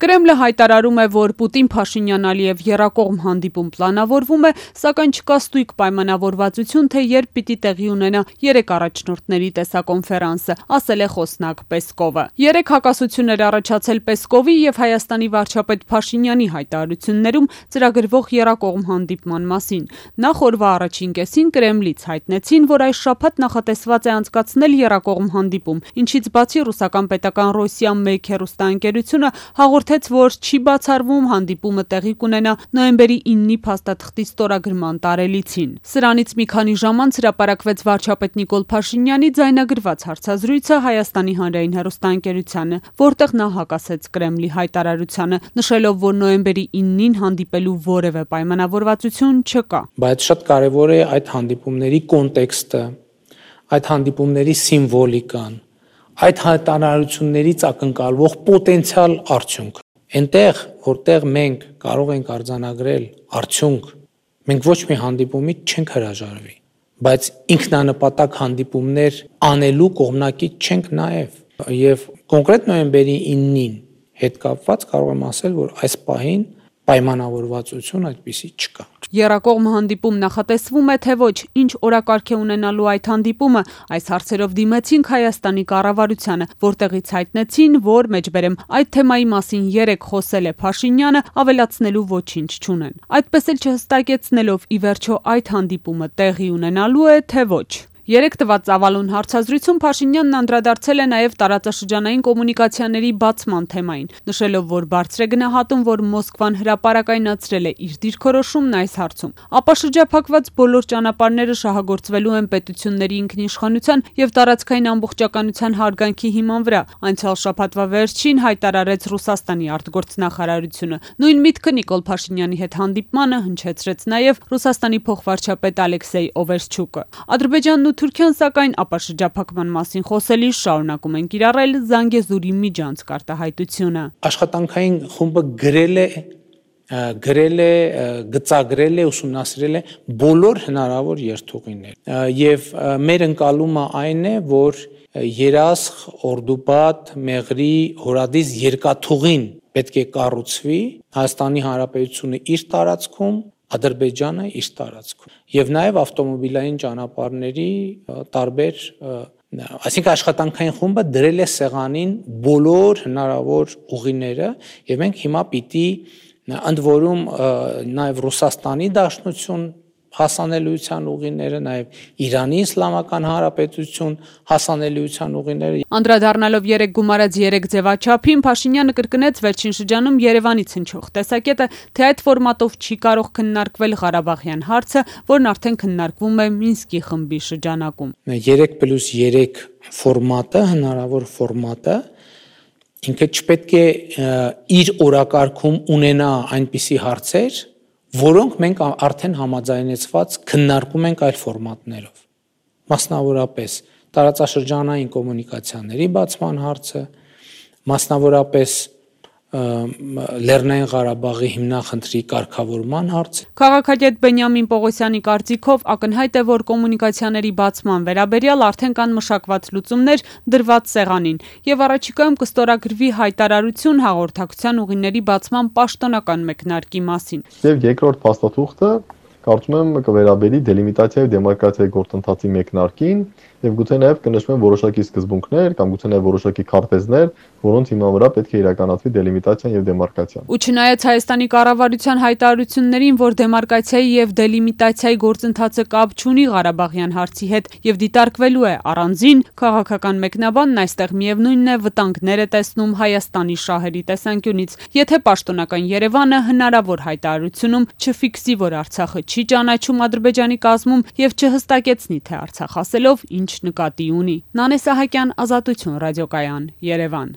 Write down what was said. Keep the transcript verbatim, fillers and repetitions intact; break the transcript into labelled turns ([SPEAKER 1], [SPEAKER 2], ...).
[SPEAKER 1] Կրեմլը հայտարարում է, որ Պուտին-Փաշինյան-Ալիև եռակողմ հանդիպում պլանավորվում է, սակայն չկա ստույգ պայմանավորվածություն, թե երբ պիտի տեղի ունենա երեք առաջնորդների տեսակոնֆերանսը, ասել է խոսնակ Պեսկովը։ Երեք հակասություն էր առաջացել Պեսկովի եւ Հայաստանի վարչապետ Փաշինյանի հայտարարություններում ծրագրվող եռակողմ հանդիպման մասին։ Նախ օրվա առաջին կեսին Կրեմլից հայտնեցին, որ այս շաբաթ նախատեսված է անցկացնել եռակողմ հանդիպում, ինչից բացի ռուսական պետական Ռոսիա մեկ հեռուստաընկերությունը հաղորդեց, որ չի բացառվում հանդիպումը տեղի կունենա նոյեմբերի իննի փաստաթղթի ստորագրման տարելիցին։ Սրանից մի քանի ժամ անց հրապարակվեց վարչապետ Նիկոլ Փաշինյանի ձայնագրված հարցազրույցը Հայաստանի հանրային հեռուստաընկերությանը, որտեղ նա հակասեց Կրեմլի հայտարարությանը, նշելով, որ նոյեմբերի իննին հանդիպելու որևէ պայմանավորվածություն չկա։
[SPEAKER 2] Բայց շատ կարևոր է այդ հանդիպումների կոնտեքստը, այդ հանդիպումների սիմվոլիկան, այդ հայտարարություններից ակնկալվող պոտենցիալ արդյունք։ Այնտեղ, որտեղ մենք կարող ենք արձանագրել արդյունք, մենք ոչ մի հանդիպումից չենք հրաժարվի, բայց ինքնանպատակ հանդիպումներ անելու կողմնակից չենք նաև։ Եվ կոնկրետ նոյեմբերի իննին հետ կապված կարող եմ ասել, որ այս պահին պայմանավորվածություն այդպիսի չկա։
[SPEAKER 1] Եռակողմ հանդիպում նախատեսվում է, թե ոչ, ինչ օրակարգ է ունենալու այդ հանդիպումը, այս հարցերով դիմեցինք Հայաստանի կառավարությանը, որտեղից հայտնեցին, որ մեջբերեմ այդ թեմայի մասին երեք խոսել է Փաշինյանը, ավելացնելու ոչինչ չունեն։ Այդպես էլ չհստակեցնելով ի վերջո այդ հանդիպումը տեղի ունենալու է, թե ոչ։ Երեք տված ծավալուն հարցազրույցում Փաշինյանն անդրադարձել է նաև տարածաշրջանային կոմունիկացիաների բացման թեմային, նշելով, որ բարձր է գնահատում, որ Մոսկվան հրապարակայնացրել է իր դիրքորոշումն այս հարցում։ Ապա շրջափակված բոլոր ճանապարհները շահագործվելու են պետությունների ինքնիշխանության եւ տարածքային ամբողջականության հարգանքի հիման վրա, անցյալ շաբաթվա վերջին հայտարարեց Ռուսաստանի արտգործնախարարությունը։ Նույն միտքը Նիկոլ Փաշինյանի հետ հանդիպմանը հնչեցրեց նաև Ռուսաստանի փոխվարչապետ Ալեքսեյ Օվերչուկը։ Ադրբեջանն ու Թուրքիան սակայն ապա շրջափակման մասին խոսելիս շարունակում են կիրառել Զանգեզուրի միջանցք արտահայտությունը։
[SPEAKER 2] Աշխատանքային խումբը գրել է գրել է, գծագրել է, ուսումնասիրել է բոլոր հնարավոր երթուղիներ եւ մեր ընկալումը այն է, որ Երասխ, Օրդուբադ, Մեղրի, Հորադիս երկաթուղին պետք է կառուցվի, Հայաստանի Հանրապետությունը իր տարածքում, Ադրբեջանը իր տարածքում եւ նաեւ ավտոմոբիլային ճանապարհների տարբեր, այսինքն աշխատանքային խումբը դրել է սեղանին բոլոր հնարավոր ուղիները եւ մենք հիմա պիտի ընդ որում նաեւ Ռուսաստանի Դաշնություն հասանելիության ուղիները, նաև Իրանի Իսլամական Հանրապետություն հասանելիության ուղիները։
[SPEAKER 1] Անդրադառնալով երեք գումարած երեք ձևաչափին, Փաշինյանը կրկնեց վերջին շրջանում Երևանից հնչող տեսակետը, թե այդ ֆորմատով չի կարող քննարկվել Ղարաբաղյան հարցը, որն արդեն քննարկվում է Մինսկի խմբի շրջանակում։
[SPEAKER 2] երեք պլյուս երեք ֆորմատը, հնարավոր ֆորմատը, ինքը չպետք է իր օրակարգում ունենա այնպիսի հարցեր, որոնք մենք արդեն համաձայնեցված քննարկում ենք այլ ֆորմատներով։ Մասնավորապես տարածաշրջանային կոմունիկացիաների բացման հարցը, մասնավորապես Լեռնային Ղարաբաղի հիմնախնդրի կարգավորման հարցը։
[SPEAKER 1] Քաղաքագետ Բենյամին Պողոսյանի կարծիքով ակնհայտ է, որ կոմունիկացիաների բացման վերաբերյալ արդեն կան մշակված լուծումներ դրված սեղանին եւ առաջիկայում կստորագրվի հայտարարություն հաղորդակցության ուղիների բացման պաշտոնական մեկնարկի մասին։
[SPEAKER 3] Եվ երկրորդ փաստաթուղթը կարծում եմ կվերաբերի դելիմիտացիայի եւ դեմարկրատիայի գործընթացի մեկնարկին եւ գուցե նաեւ կնշվեն որոշակի սկզբունքներ կամ գուցե նաեւ որոշակի քարտեզներ, որոնց հիման վրա պետք է իրականացվի դելիմիտացիան եւ դեմարկացիան։
[SPEAKER 1] Ու չնայած Հայաստանի կառավարության հայտարարություններին, որ դեմարկացիայի եւ դելիմիտացիայի գործընթացը կապ չունի Ղարաբաղյան հարցի հետ եւ դիտարկվելու է առանձին, քաղաքական մեկնաբանն այստեղ միևնույնն է վտանգներ է տեսնում Հայաստանի շահերի տեսանկյունից, եթե պաշտոնական Երևանը հնարավոր հայտարարությունում չֆիքսի, որ Արցախը չի ճանաչում Ադրբեջանի կազմում եւ չհստակեցնի, թե Արցախ ասելով ինչ նկատի ունի։ Նանե Սահակյան, Ազատություն ռադիոկայան, Երևան։